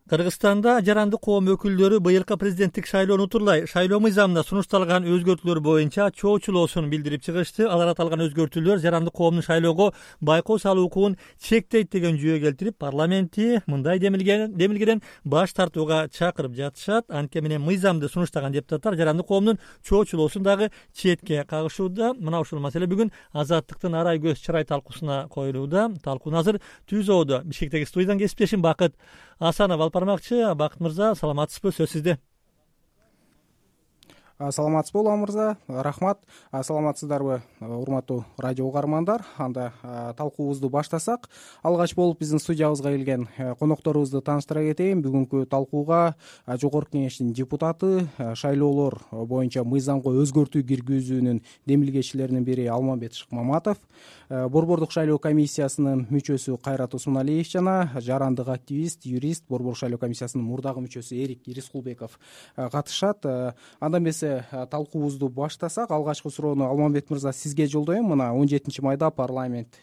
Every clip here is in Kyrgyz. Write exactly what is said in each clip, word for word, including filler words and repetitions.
Кыргызстанда жарандык коом өкүлдөрү быйылкы президенттик шайлоону утурлай шайлоо мыйзамына сунушталган өзгөртүүлөр боюнча чоочулоосун билдирип чыгышты. Алар аталган өзгөртүүлөр жарандык коомдун шайлоого байкоо салуу укугун чектейт деген жүйө келтирип, парламентти мындай демилгеден баш тартууга чакырып жатышат. Анткени менен мыйзамды сунуштаган депутаттар жарандык коомдун чоочулоосун дагы четке кагышууда. Мына ушул маселе бүгүн Азаттыктын арай көз чырай талкуусуна коюлууда. Талкууну азыр Түз Оодо Бишкектеги студиядан кесиптешим Бакыт Асанов алып бармакчы. Бакыт мырза, саламатсызбы? Сөз сизде. Саламатсызбы Улам мырза, рахмат. Саламатсыздарбы урматтуу радио угармандар? Анда талкуубузду баштасак, алгач болуп биздин студиябызга келген конокторубузду тааныштыра кетейин. Бүгүнкү талкууга Жогорку Кеңештин депутаты, шайлоолор боюнча мыйзамга өзгөртүү киргизүүнүн демилгечилеринин бири Алмамбет Шыкмаматов, Борбордук шайлоо комиссиясынын мүчөсү Кайрат Усмоналиев жана жарандык активист, юрист, Борбордук шайлоо комиссиясынын мурдагы мүчөсү Эрик Ирискулбеков катышат. Андан эмесе талкуубузду баштасак, алгачкы суроону Алмамбет мырза сизге жолдоем. Мына он жетинчи майда парламент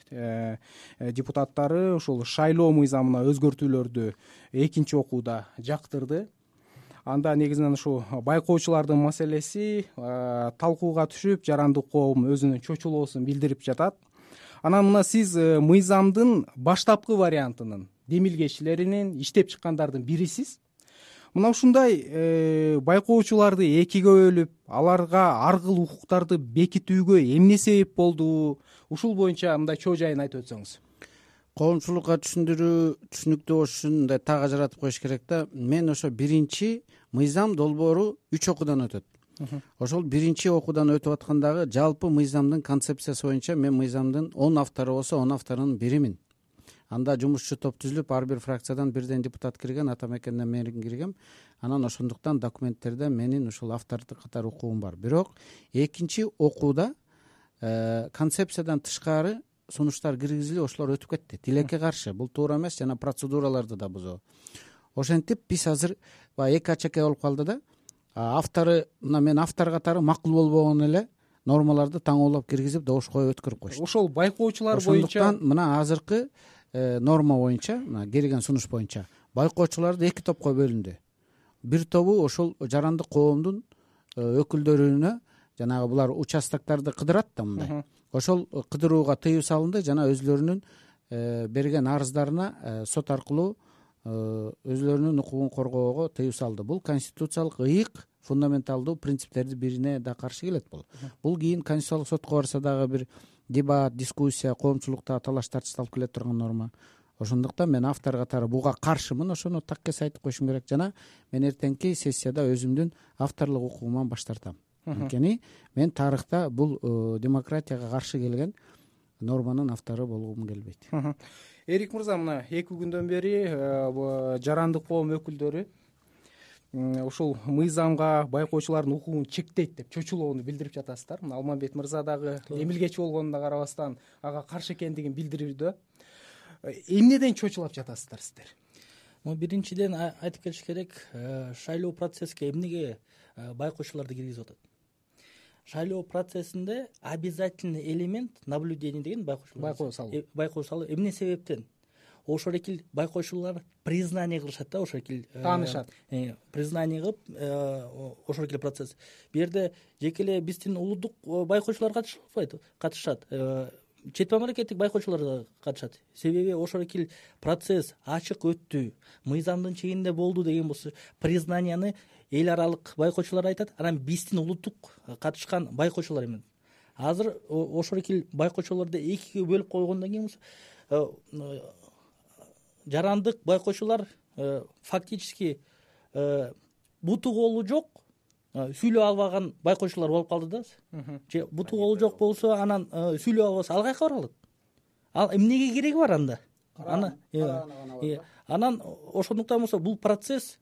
депутаттары ушул шайлоо мыйзамына өзгөртүүлөрдү экинчи окууда жактырды. Анда негизинен ушу байкоочулардын маселеси талкууга түшүп, жарандык коом өзүнүн чочулоосун билдирип жатат. Анан мына сиз мыйзамдын баштапкы вариантынын демилгечилеринин иштеп чыккандардын бирисиз. Мына ушундай байкоочуларды экиге бөлүп, аларга ар кыл укуктарды бекитүүгө эмне себеп болду? Ушул боюнча мындай чоо жайын айтып өтсөңүз. Коомчулукка түшүндүрүү түшүнүктүү болуш үчүн мындай так ажыратып коюш керек да. Мен ошо биринчи мыйзам долбоору үч окуудан өтөт. Ошол биринчи окуудан өтүп аткандагы жалпы мыйзамдын концепциясы боюнча мен мыйзамдын он автору болсо, он авторунун биримин. Анда жумушчу топ түзүлүп, ар бир фракциядан бирден депутат кирген, Атамекенден мен киргем. Анан ошондуктан документтерде менин ушул автордук катар укугум бар. Бирок экинчи окууда концепциядан тышкары сунуштар киргизилип, ошолор өтүп кетти. Тилекке каршы. Бул туура эмес жана процедураларды да бузуу. Ошентип биз азыр баягы эки ачаке болуп калды да. Автору, мына мен автор катары макул болбогон эле нормаларды таңоолоп киргизип, добуш коюп өткөрүп коюшту. Ошол байкоочулар боюнча ошондуктан мына азыркы норма боюнча, мына келген сунуш боюнча байкоочуларды эки топко бөлүндү. Бир тобу ошол жарандык коомдун өкүлдөрүнө, жанагы булар участоктарды кыдырат да мындай. Ошол кыдырууга тыюу салынды жана өзлөрүнүн берген арыздарына сот аркылуу өзлөрүнүн укугун коргоого тыюу салды. Бул конституциялык ыйык, фундаменталдуу принциптердин бирине да каршы келет бул. Бул кийин конституциялык сотко барса дагы бир дебат, дискуссия, коомчулукта талаш тартыш алып келе турган норма. Ошондуктан мен автор катары буга каршымын. Ошону таккес айтып коюшум керек жана мен эртеңки сессияда өзүмдүн авторлук укугуман баш тартам. Анткени мен тарыхта бул демократияга каршы келген норманын автору болгум келбейт. Эрик мырза, мына эки күндөн бери жарандык коом өкүлдөрү ушул мыйзамга байкоочулардын укугун чектейт деп чочулоону билдирип жатасыздар. Мына Алмамбет мырза дагы демилгечи болгонуна карабастан ага каршы экендигин билдирүүдө. Эмнеден чочулап жатасыздар сиздер? Биринчиден айтып келиш керек, шайлоо процесске эмнеге байкоочуларды киргизип атат? Шайлоо процессинде обязательный элемент наблюдение деген байкоочулар. Байкоо салуу. Байкоо салуу. Эмне себептен? Ошол экил байкоочулар признание кылышат да, ошол экил таанышат. Признание кылып, ошол экил процесс. Бу жерде жеке эле биздин улуттук байкоочулар катышпайт, катышат. Чет мамлекеттик байкоочулар да катышат. Себеби ошол экил процесс ачык өттү, мыйзамдын чегинде болду деген болсо, признанияны эл аралык байкоочулар айтат, анан биздин улуттук катышкан байкоочулар эми. Азыр ошол экил байкоочуларды экиге бөлүп койгондон кийин жарандык байкоочулар фактически буту колу жок, сүйлөп албаган байкоочулар болуп калды да. Же буту колу жок болсо, анан сүйлөп албаса ал кайка бара алат? Ал эмнеге кереги бар анда? Анан анан ошондуктан болсо бул процесс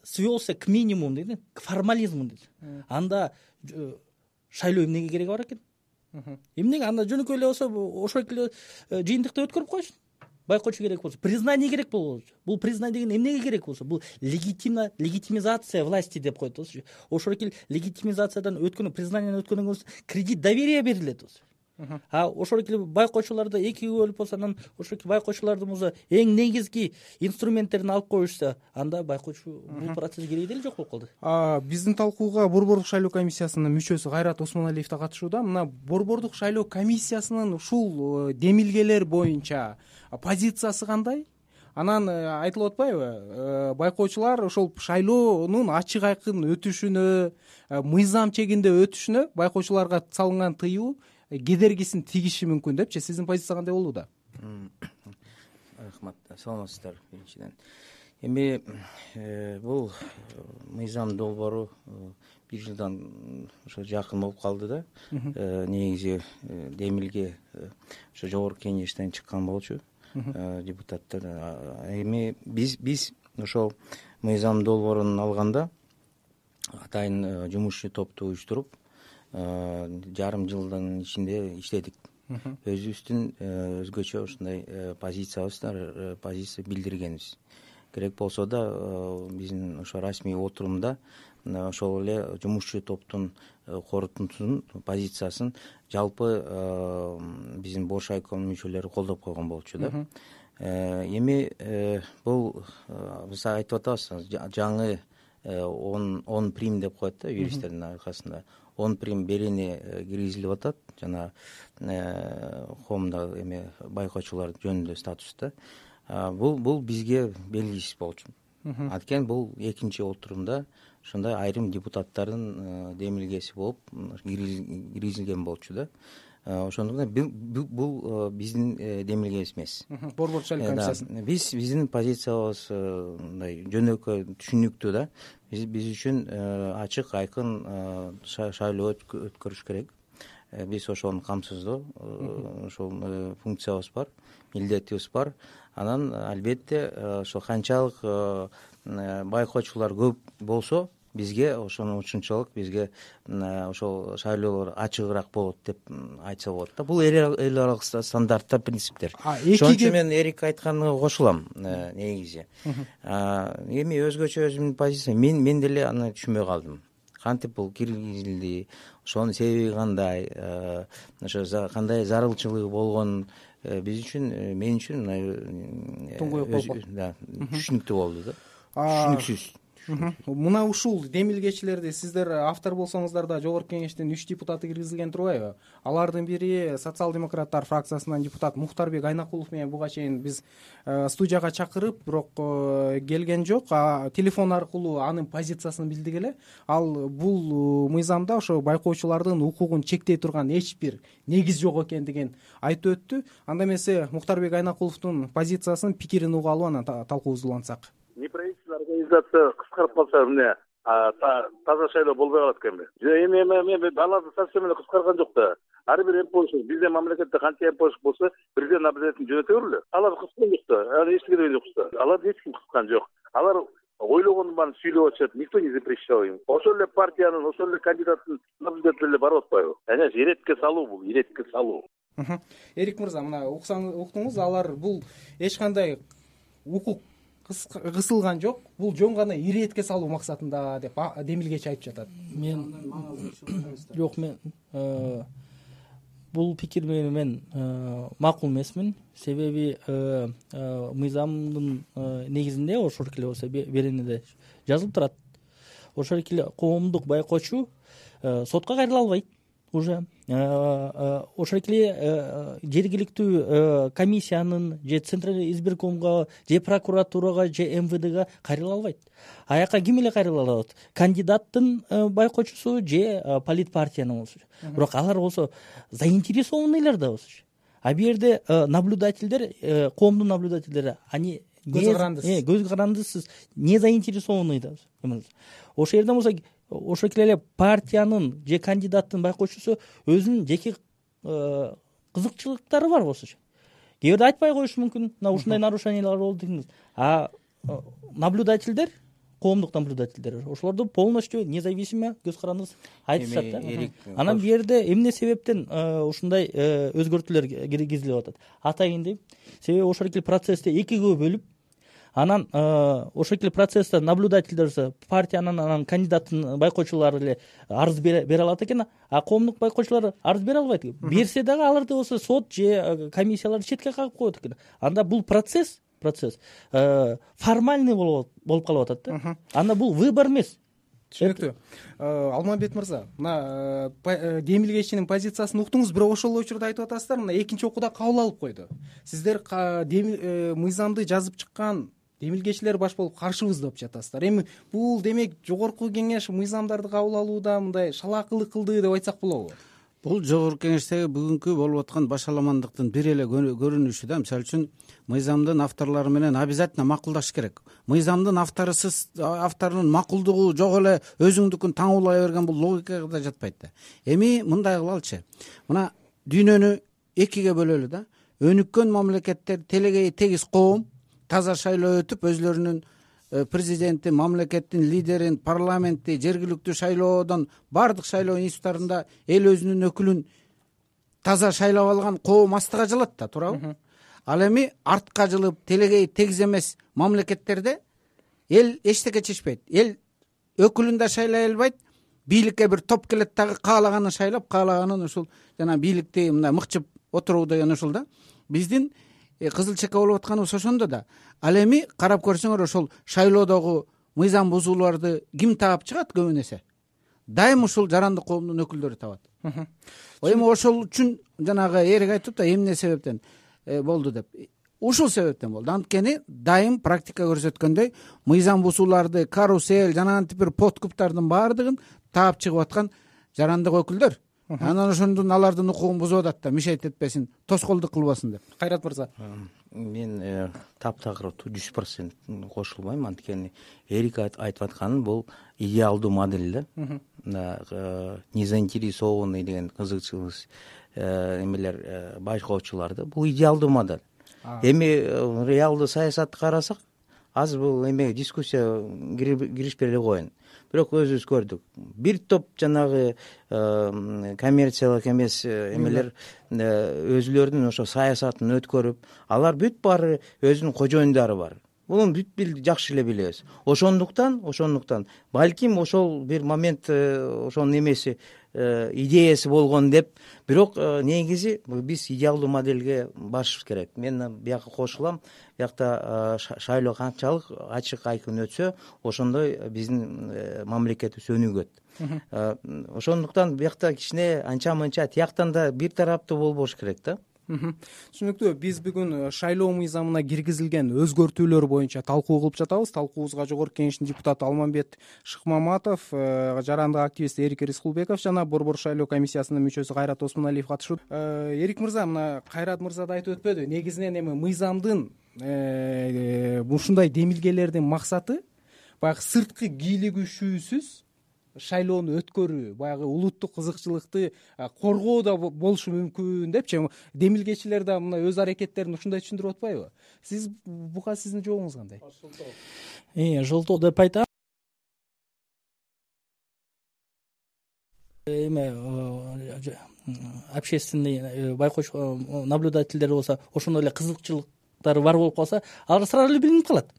свелся к минимуму дейт, к формализму дейт. Анда шайлоо эмнеге кереги бар экен? Эмнеге анда жөнөкөй эле болсо ошол эле жыйынтыкты өткөрүп койсун. Байкоочу керек болсо, признание керек болсо, бул признание деген эмнеге керек болсо, бул легитимно легитимизация власти деп коет болсу. Ошол эле легитимизациядан өткөн, признаниядан өткөндөн кийин кредит доверия берилет болсу. а ошол эле байкоочуларды экиге бөлүп болсо анан ошол байкоочулардын өзү эң негизги инструменттерин алып коюшса анда байкоочу бул процесс кереги деле жок болуп калды. Биздин талкууга борбордук шайлоо комиссиясынын мүчөсү Кайрат Осмоналиев да катышууда. Мына борбордук шайлоо комиссиясынын ушул демилгелер боюнча позициясы кандай? Анан айтылып атпайбы, байкоочулар ошол шайлоонун ачык айкын өтүшүнө, мыйзам чегинде өтүшүнө байкоочуларга салынган тыюу кедергисин тийиши мүмкүн депчи. Сиздин позиция кандай болууда? Рахмат, саламатсыздар биринчиден. Эми бул мыйзам долбоору бир жылдан ошо жакын болуп калды да. Негизи демилге ошо жогорку кеңештен чыккан болчу депутаттар. Эми биз биз ошол мыйзам долбоорун алганда атайын жумушчу топту уюштуруп жарым жылдын ичинде иштедик. Өзүбүздүн өзгөчө ушундай позициябызды позиция билдиргенбиз. Керек болсо да биздин ошо расмий отурумда ошол эле жумушчу топтун корутундусун позициясын жалпы биздин бош айком мүчөлөрү колдоп койгон болчу да. Эми бул биз айтып атабыз, жаңы он прим деп коет да юристтердин аркасында. он прим берени киргизилип атат жана коомдо эми байкоочулар жөнүндө статуста. Бул бул бизге белгисиз болчу. Анткени бул экинчи отурумда ушундай айрым депутаттардын демилгеси болуп киргизилген болчу да. Ошондуктан бул биздин демилгебиз эмес. Борбордук шайлоо комиссиясынын. Биз биздин позициябыз мындай жөнөкөй, түшүнүктүү да. Биз биз үчүн ачык, айкын шайлоо өткөрүш керек. Биз ошону камсыздоо, ошол функциябыз бар, милдетибиз бар. Анан албетте ошо канчалык байкоочулар көп болсо, бизге ошону ушунчалык бизге ошол шайлоолор ачыгыраак болот деп айтса болот да. Бул эл аралык стандарттар, принциптер. Ошон үчүн мен Эрик айтканына кошулам негизи. Эми өзгөчө өзүмдүн позициям, мен мен деле аны түшүнбөй калдым. Кантип бул киргизилди, ошонун себеби кандай, ошо кандай зарылчылыгы болгон биз үчүн, мен үчүн туңгуюк болду. Да, түшүнүктүү болду да. Түшүнүксүз. Мына ушул демилгечилерди сиздер автор болсоңуздар да жогорку кеңештин үч депутаты киргизилген турбайбы? Алардын бири социал-демократтар фракциясынан депутат Мухтарбек Айнакулов менен буга чейин биз студияга чакырып, бирок келген жок. Телефон аркылуу анын позициясын билдик эле. Ал бул мыйзамда ошо байкоочулардын укугун чектей турган эч бир негиз жок экендигин айтып өттү. Анда эмесе Мухтарбек Айнакуловдун позициясын, пикирин угуп алып анан талкуубузду улантсак. Неправительственный организация кыскарып калса эмне таза шайлоо болбой калат экенби? Эми эми аларды совсем эле кыскарган жок да. Ар бир эмпошк биздин мамлекетте канча эмпошк болсо президент обязательно жөнөтө бербеле. Алар кыскан жок да. Аны эч керек жок да. Аларды эч ким кыскан жок. Алар ойлогонун баарын сүйлөп атышат. Никто не запрещал им. Ошол эле партиянын, ошол эле кандидаттын наблюдатель барып атпайбы? Ana иретке салуу бул, иретке салуу. Эрик мырза, мына уксаңыз, уктуңуз, алар бул эч кандай укук кысылган жок, бул жөн гана иретке салуу максатында деп демилгечи айтып жатат. Мен жок, мен бул пикир менен мен макул эмесмин. Себеби мыйзамдын негизинде ошол эле болсо берениде жазылып турат. Ошол эле коомдук байкоочу сотко кайрыла албайт. Уже ошол эле жергиликтүү комиссиянын же центральный избиркомго же прокуратурага же эм вэ дга кайрыла албайт. Аяка ким эле кайрыла алат? Кандидаттын байкоочусу же политпартиянын болсо. Бирок алар болсо заинтересованныйлар да болсо. А бул жерде наблюдательдер, коомдун наблюдательдери, они көз карандысыз. Э, көз карандысыз, не заинтересованный да. Ошол жерден болсо ошол эле партиянын же кандидаттын байкоочусу өзүнүн жеке кызыкчылыктары бар болсо. Кээ бирде айтпай коюшу мүмкүн, мына ушундай нарушениялар болду дегиңиз. А наблюдательдер, коомдук наблюдательдер, ошолорду полностью независимо көз карандысыз айтышат да. Анан бул жерде эмне себептен ушундай өзгөртүүлөр киргизилип атат? Атайын дейм. Себеби ошол эле процессти экиге бөлүп, анан ошол эле процессте наблюдательдер партиянын анан кандидаттын байкоочулары эле арыз бере алат экен, а коомдук байкоочулар арыз бере албайт. Берсе дагы аларды болсо сот же комиссиялар четке кагып коет экен. Анда бул процесс процесс формальный болуп калып атат да. Анда бул выбор эмес. Түшүнүктүү. Алмамбет мырза, мына демилгечинин позициясын уктуңуз, бирок ошол учурда айтып атасыздар, мына экинчи окууда кабыл алып койду. Сиздер мыйзамды жазып чыккан демилгечилер баш болуп каршыбыз деп жатасыздар. Эми бул демек жогорку кеңеш мыйзамдарды кабыл алууда мындай шалаакылык кылды деп айтсак болобу? Бул жогорку кеңештеги бүгүнкү болуп аткан башаламандыктын бир эле көрүнүшү да. Мисалы үчүн мыйзамдын авторлору менен обязательно макулдаш керек. Мыйзамдын авторусуз авторунун макулдугу жок эле өзүңдүкүн таңуулай берген бул логикага да жатпайт да. Эми мындай кылалычы. Мына дүйнөнү экиге бөлөлү да. Өнүккөн мамлекеттер телегей тегиз коом таза шайлоо өтүп өзлөрүнүн президенти, мамлекеттин лидерин, парламентти, жергиликтүү шайлоодон баардык шайлоо институттарында эл өзүнүн өкүлүн таза шайлап алган коом астыга жылат да, туурабы? Ал эми артка жылып телегей тегиз эмес мамлекеттерде эл эчтеке чечпейт. Эл өкүлүн да шайлай албайт. Бийликке бир топ келет дагы каалаганын шайлап, каалаганын ушул жана бийликти мындай мыкчып отуруу деген ушул да. Биздин кызыл чека болуп атканыбыз ошондо да. Ал эми карап көрсөңөр ошол шайлоодогу мыйзам бузууларды ким таап чыгат көбүн эсе? Дайым ушул жарандык коомдун өкүлдөрү табат. Эми ошол үчүн жанагы эрик айтып да эмне себептен болду деп. Ушул себептен болду. Анткени дайым практика көрсөткөндөй мыйзам бузууларды, карусель жана антип бир подкуптардын баардыгын таап чыгып аткан жарандык өкүлдөр. Анан ошондон алардын укугун бузуп атат да, мишейт этпесин, тоскоолдук кылбасын деп. Кайрат мырза. Мен таптагыр жүз процент кошулбайм, анткени эрик айтып атканы бул идеалдуу модель да. Незаинтересованный деген кызыкчылык эмелер байкоочуларды бул идеалдуу модель. Эми реалдуу саясатты карасак, азыр бул эме дискуссия киришпей эле коеюн. Бирок өзүбүз көрдүк. Бир топ жанагы коммерциялык эмес эмелер өзүлөрүнүн ошо саясатын өткөрүп, алар бүт баары өзүнүн кожоюндары бар. Муну бүт жакшы эле билебиз. Ошондуктан, ошондуктан балким ошол бир момент ошонун эмеси идеясы болгон деп, бирок негизи биз идеалдуу модельге башыбыз керек. Мен бияка кошулам. Биякта шайлоо канчалык ачык айкын өтсө, ошондой биздин мамлекетибиз өнүгөт. Ошондуктан биякта кичине анча-мынча тияктан да бир тараптуу болбош керек да. Түшүнүктүү. Биз бүгүн шайлоо мыйзамына киргизилген өзгөртүүлөр боюнча талкуу кылып жатабыз. Талкуубузга жогорку кеңештин депутаты Алмамбет Шыкмаматов, жарандык активист Эрик Рыскулбеков жана Борбор шайлоо комиссиясынын мүчөсү Кайрат Осмоналиев катышып. Эрик мырза, мына Кайрат мырза да айтып өтпөдү. Негизинен эми мыйзамдын ушундай демилгелердин максаты баягы сырткы кийлигишүүсүз шайлоону өткөрүү, баягы улуттук кызыкчылыкты коргоодо болушу мүмкүн депчи. Демилгечилер да мына өз аракеттерин ушундай түшүндүрүп атпайбы? Сиз буга сиздин жообуңуз кандай? Э, жылтоо деп айтам. Эме общественный байкоочу наблюдательдер болсо, ошондой эле кызыкчылыктары бар болуп калса, алар сразу эле билинип калат.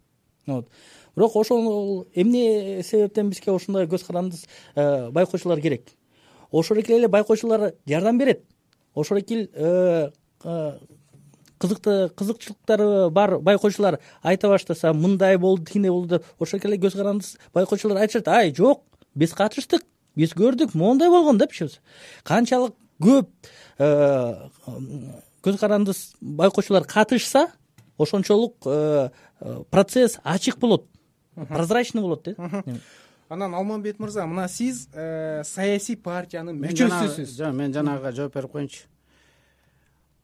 Вот. Бирок ошол эмне себептен бизге ошондой көз карандысыз байкоочулар керек? Ошол эле байкоочулар жардам берет. Ошол эле кызыкты кызыкчылыктары бар байкоочулар айта баштаса, мындай болду, тигиндей болду деп, ошол эле көз карандысыз байкоочулар айтышат: "Ай, жок, биз катыштык, биз көрдүк, моундай болгон" депчи. Канчалык көп көз карандысыз байкоочулар катышса, ошончолук процесс ачык болот, прозрачный болот дейт. Анан Алмамбет мырза, мына сиз саясий партиянын мүчөсүсүз. Жок, мен жанагыга жооп берип коеюнчу.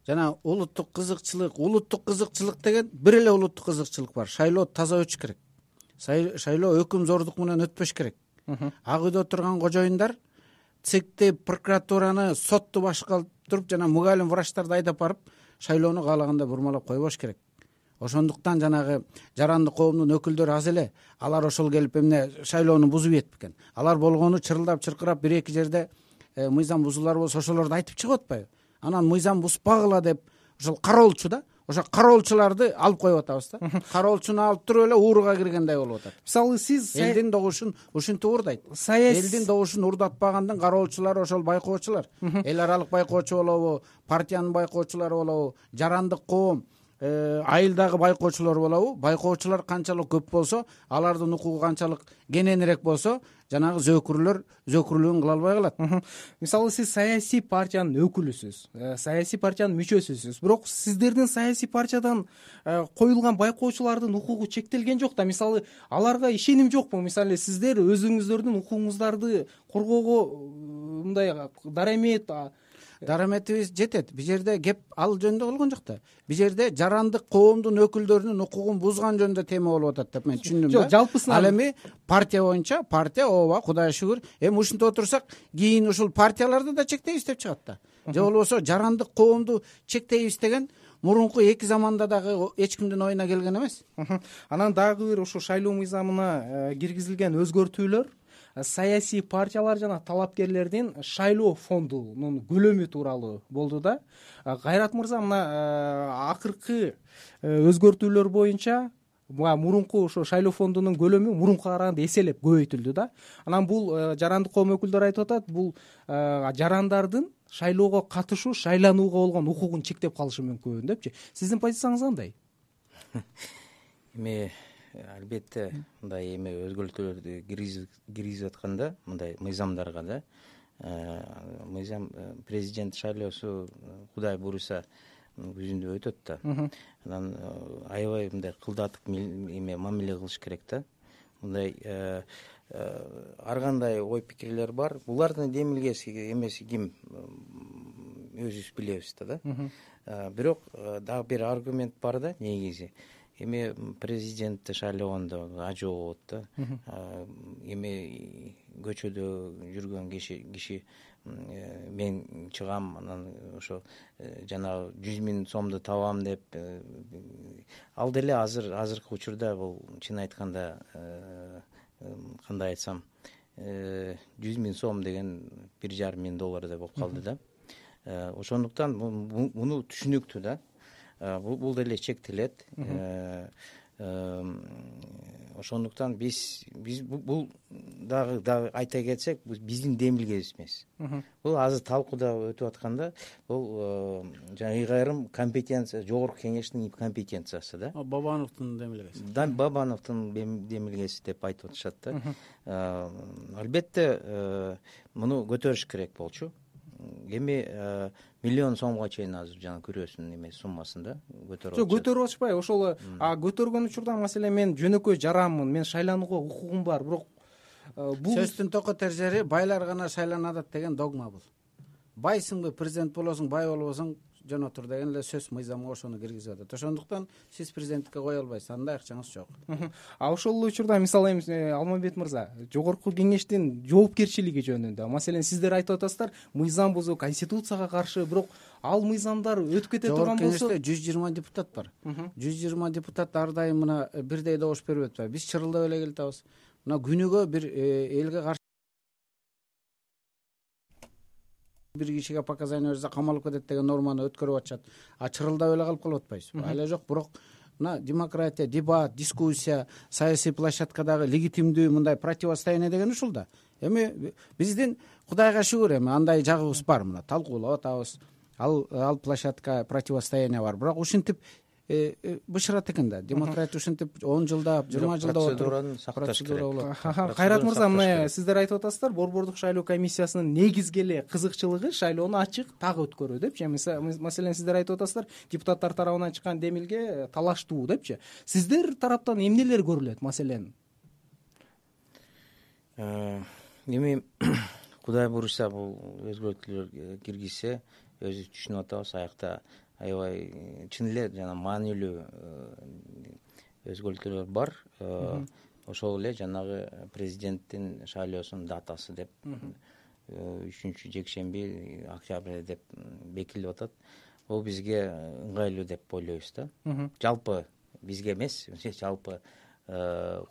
Жана улуттук кызыкчылык, улуттук кызыкчылык деген бир эле улуттук кызыкчылык бар. Шайлоо таза өтүш керек. Шайлоо өкүм зордук менен өтпөш керек. Ак үйдө отурган кожоюндар цикти, прокуратураны, сотту башка туруп жана мугалим врачтарды айдап барып, шайлоону каалагандай бурмалап койбош керек. Ошондуктан жанагы жарандык коомдун өкүлдөрү аз эле. Алар ошол келип эмне шайлоону бузуп ийет бекен. Алар болгону чырылдап чыркырап бир эки жерде мыйзам бузуулар болсо ошолорду айтып чыгып атпайбы? Анан мыйзам бузбагыла деп ошол кароолчу да. ошо кароолчуларды алып коюп атабыз да. Кароолчуну алып туруп эле ууруга киргендей болуп атат. Мисалы сиз элдин добушун ушинтип уурдайт. Саясий элдин добушун уурдатпагандын кароолчулары ошол байкоочулар. Эл аралык байкоочу болобу, партиянын байкоочулары болобу, жарандык коом, айылдагы байкоочулар болобу, байкоочулар канчалык көп болсо, алардын укугу канчалык кененирээк болсо, жанагы зөөкүрлөр зөөкүрлүгүн кыла албай калат. Мисалы сиз саясий партиянын өкүлүсүз, саясий партиянын мүчөсүсүз. Бирок сиздердин саясий партиядан коюлган байкоочулардын укугу чектелген жок да. Мисалы аларга ишеним жокпу? Мисалы сиздер өзүңүздөрдүн укугуңуздарды коргоого мындай дарамет дараметибиз жетет. Бул жерде кеп ал жөнүндө болгон жок да. Бул жерде жарандык коомдун өкүлдөрүнүн укугун бузган жөнүндө тема болуп атат деп мен түшүндүм да. Жок, жалпысынан ал эми партия боюнча партия ооба, Кудайга шүгүр, эми ушинтип отурсак, кийин ушул партияларды да чектейбиз деп чыгат да. Же болбосо жарандык коомду чектейбиз деген мурунку эки заманда дагы эч кимдин оюна келген эмес. Анан дагы бир ушу шайлоо мыйзамына киргизилген өзгөртүүлөр саясий партиялар жана талапкерлердин шайлоо фондунун көлөмү тууралуу болду да. Кайрат мырза, мына акыркы өзгөртүүлөр боюнча мурунку ошо шайлоо фондунун көлөмү мурункуга караганда эселеп көбөйтүлдү да. Анан бул жарандык коом өкүлдөрү айтып атат, бул жарандардын шайлоого катышуу, шайланууга болгон укугун чектеп калышы мүмкүн депчи. Сиздин позицияңыз кандай? Эми албетте мындай эми өзгөртүүлөрдү киргизип атканда мындай мыйзамдарга да, мыйзам президент шайлоосу Кудай буюрса күзүндө өтөт да. Анан аябай мындай кылдатык эме мамиле кылыш керек да. Мындай ар кандай ой пикирлер бар. Булардын демилгеси эмеси ким өзүбүз билебиз да. Бирок дагы бир аргумент бар да, негизи. Эми президентти шайлогондо ажоо болот да. Эми көчөдө жүргөн киши киши мен чыгам, анан ошо жанагы жүз миң сомду табам деп, ал деле азыр азыркы учурда бул чын айтканда кандай айтсам, жүз миң сом деген бир жарым миң доллардай болуп калды да. Ошондуктан муну түшүнүктүү да. Бул деле чектелет. Ошондуктан биз биз бул дагы дагы айта кетсек, биздин демилгебиз эмес. Бул азыр талкууда өтүп атканда, бул жана айрым компетенция, жогорку кеңештин компетенциясы да. Бабановдун демилгеси. Бабановдун демилгеси деп айтып атышат да. Албетте муну көтөрүш керек болчу. Эми миллион сомго чейин азыр жана күрөөсүнүн эме суммасында көтөрүп атышат. Жок, көтөрүп атышпайбы? Ошол көтөргөн учурда маселе мен жөнөкөй жаранмын, мен шайланууга укугум бар, бирок бул сөздүн токотер жери байлар гана шайланат деген догма бул. Байсыңбы президент болосуң, бай болбосуң жөн отур деген эле сөз мыйзамга ошону киргизип атат. Ошондуктан сиз президенттикке кое албайсыз, андай акчаңыз жок. А ошол учурда мисалы эми Алмамбет мырза, жогорку кеңештин жоопкерчилиги жөнүндө, маселен сиздер айтып атасыздар, мыйзам бузуу, конституцияга каршы, бирок ал мыйзамдар өтүп кете турган болсо, жогорку кеңеште жүз жыйырма депутат бар. жүз жыйырма депутат ар дайым мына бирдей добуш берип атпайбы. Биз чырылдап эле келатабыз. Мына күнүгө бир элге каршы бир кишиге показания берсе камалып кетет деген норманы өткөрүп атышат. А чырылдап эле калып калып атпайбыз. Ала жок, бирок мына демократия, дебат, дискуссия, саясий площадкадагы легитимдүү мындай противостояние деген ушул да. Эми биздин Кудайга шүгүр эми андай жагыбыз бар, мына талкуулап атабыз. Ал ал площадка противостояние бар. Бирок ушинтип бышырат экен да. Демократия ушинтип он жылдап, жыйырма жылдап процедураны сакташ керек. Кайрат мырза, мына сиздер айтып атасыздар, Борбордук шайлоо комиссиясынын негизги эле кызыкчылыгы шайлоону ачык так өткөрүү депчи. Маселен, сиздер айтып атасыздар, депутаттар тарабынан чыккан демилге талаштуу депчи. Сиздер тараптан эмнелер көрүлөт, маселен? Эми Кудай буюрса бул өзгөртүүлөр киргизсе, өзүбүз түшүнүп атабыз, аякта аябай чын эле жана маанилүү өзгөртүүлөр бар. Ошол эле жанагы президенттин шайлоосунун датасы деп үчүнчү жекшемби октябрь деп бекитилип атат. Бул бизге ыңгайлуу деп ойлойбуз да. Жалпы бизге эмес, жалпы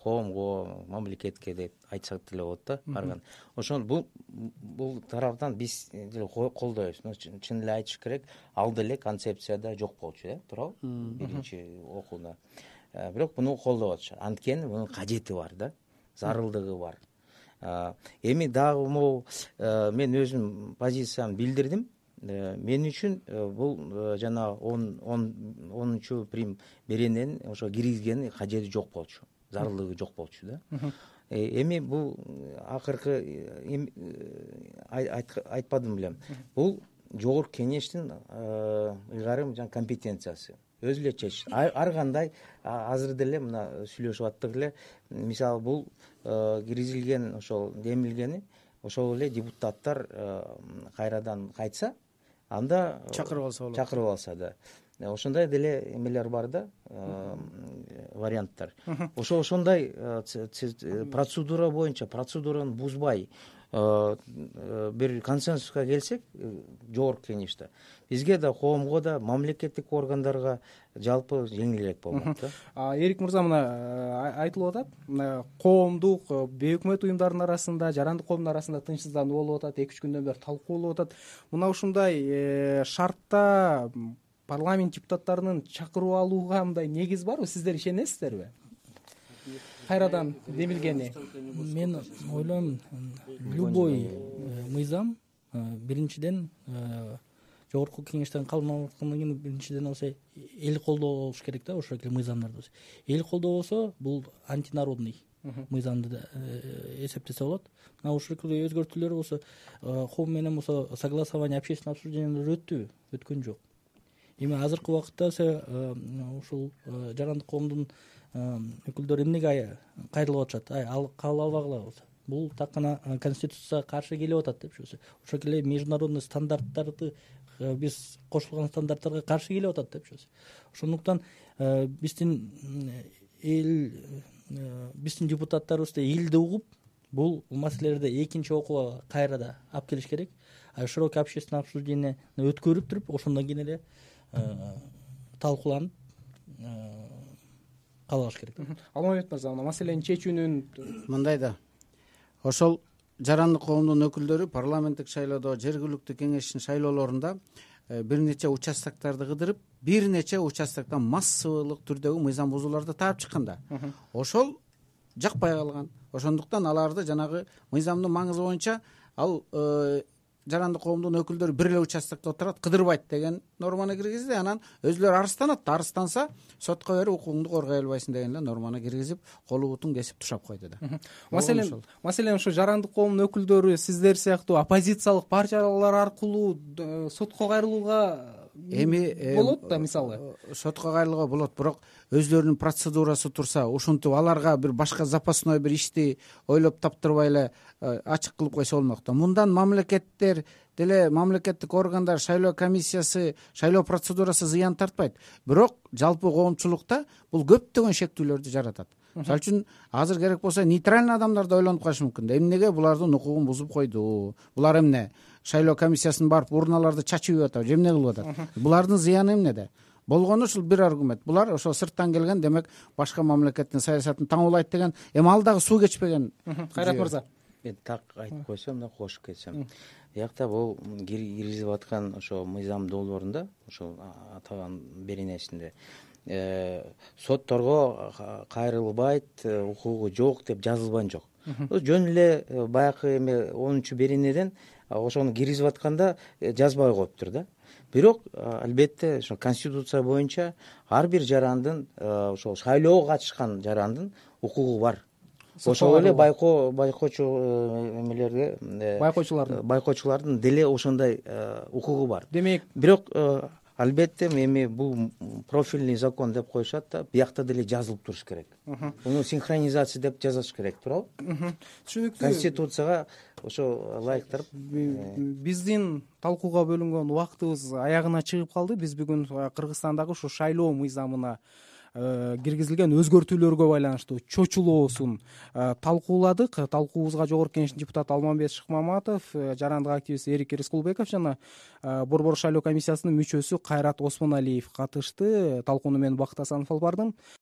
коомго, мамлекетке деп айтсак деле болот да. Барган ошон бул бул тараптан биз деле колдойбуз. Чын эле айтыш керек, ал деле концепцияда жок болчу, э, туурабы? Биринчи окууда. Бирок муну колдоп атышат. Анткени мунун кажети бар да, зарылдыгы бар. Эми дагы могу мен өзүм позициямды билдирдим. Мен үчүн бул жана он онунчу прим беренени ошо киргизгенин кажети жок болчу, зарылдыгы жок болчу да. Эми бул акыркы айтпадым белем. Бул жогорку кеңештин ыйгарым жана компетенциясы. Өзү эле чечишет. Ар кандай азыр деле мына сүйлөшүп аттык эле, мисалы бул киргизилген ошол демилгени ошол эле депутаттар кайрадан кайтса, анда чакырып алса болот. Чакырып алса да. Ошондой деле эмелер бар да, варианттар. Ошо ошондой процедура боюнча, процедураны бузбай бир консенсуска келсек жогорку кеңеште, бизге да, коомго да, мамлекеттик органдарга жалпы жеңилирээк болмок да. Эрик мырза, мына айтылып атат, мына коомдук, бейөкмөт уюмдардын арасында, жарандык коомдун арасында тынчсыздануу болуп атат, эки үч күндөн бери талкуу болуп атат. Мына ушундай шартта парламент депутаттарынын чакырып алууга мындай негиз барбы? Сиздер ишенесиздерби? Кайрадан демилгени. Мен ойлойм, любой мыйзам биринчиден жогорку кеңештен кабыл алып аткандан кийин биринчиден алса эл колдоо болуш керек да, ошол эле мыйзамдарды. Эл колдоо болсо бул антинародный мыйзамды эсептесе болот. Мына ушул өзгөртүүлөр болсо коом менен болсо согласование, общественное обсуждениелер өттүбү? Өткөн жок. Эми азыркы убакытта ушул жарандык коомдун өкүлдөрү эмнеге кайрылып атышат? Ал кабыл албагыла болсо. Бул так гана конституцияга каршы келип атат деп жүрсө. Ошол эле международный стандарттарды, биз кошулган стандарттарга каршы келип атат деп жүрсө. Ошондуктан биздин эл, биздин депутаттарыбызды элди угуп, бул маселелерди экинчи окууга кайрада алып келиш керек. Широкий общественное обсуждение өткөрүп туруп, ошондон кийин эле талкууланып кабыл алыш керек. Алмамбет мырза, мына маселени чечүүнүн мындай да, ошол жарандык коомдун өкүлдөрү парламенттик шайлоодо, жергиликтүү кеңештин шайлоолорунда бир нече участоктарды кыдырып, бир нече участоктон массалык түрдөгү мыйзам бузууларды таап чыкканда, ошол жакпай калган. Ошондуктан аларды жанагы мыйзамдын маңызы боюнча ал жарандык коомдун өкүлдөрү бир эле участокто отурат, кыдырбайт деген норманы киргизди. Анан өзүлөрү арызданат, арызданса сотко берип укугуңду коргой албайсың деген эле норманы киргизип, колу бутун кесип тушап койду да. Маселен, маселен ушу жарандык коомдун өкүлдөрү сиздер сыяктуу оппозициялык партиялар аркылуу сотко кайрылууга эми болот да, мисалы. Сотко кайрылууга болот, бирок өзлөрүнүн процедурасы турса, ушинтип аларга бир башка запасной бир ишти ойлоп таптырбай эле ачык кылып койсо болмок да. Мындан мамлекеттер деле, мамлекеттик органдар, шайлоо комиссиясы, шайлоо процедурасы зыян тартпайт. Бирок жалпы коомчулукта бул көптөгөн шектүүлөрдү жаратат. Мисалы үчүн азыр керек болсо нейтральный адамдар да ойлонуп калышы мүмкүн да. Эмнеге булардын укугун бузуп койду? Булар эмне? Шайлоо комиссиясына барып урналарды чачып атат, же эмне кылып атат? Булардын зыяны эмнеде? Болгону ушул бир аргумент. Булар ошо сырттан келген, демек башка мамлекеттин саясатын таңуулайт деген. Эми ал дагы суу кечпеген. Кайрат мырза. Мен так айтып койсом да, кошуп кетсем. Биякта бул киргизип аткан ошо мыйзам долбоорунда, ошо атаган беренесинде сотторго кайрылбайт, укугу жок деп жазылган жок. Жөн эле баягы эме онунчу беренеден ошону киргизип атканда жазбай коюптур да. Бирок албетте ошо конституция боюнча ар бир жарандын, ошол шайлоого катышкан жарандын укугу бар. Ошол эле байкоо байкоочу эмелерге, байкоочулардын байкоочулардын деле ошондой укугу бар. Демек, бирок албетте эми бул профильный закон деп коюшат да, биякта деле жазылып туруш керек. Муну синхронизация деп жазыш керек, туурабы? Түшүнүктүү. Конституцияга ошо ылайыктырып. Биздин талкууга бөлүнгөн убактыбыз аягына чыгып калды. Биз бүгүн Кыргызстандагы ушу шайлоо мыйзамына киргизилген өзгөртүүлөргө байланыштуу чочулоосун талкууладык. Талкуубузга жогорку кеңештин депутаты Алмамбет Шыкмаматов, жарандык активист Эрик Рыскулбеков жана Борбор шайлоо комиссиясынын мүчөсү Кайрат Осмоналиев катышты. Талкууну мен Бакыт Асанов алып бардым.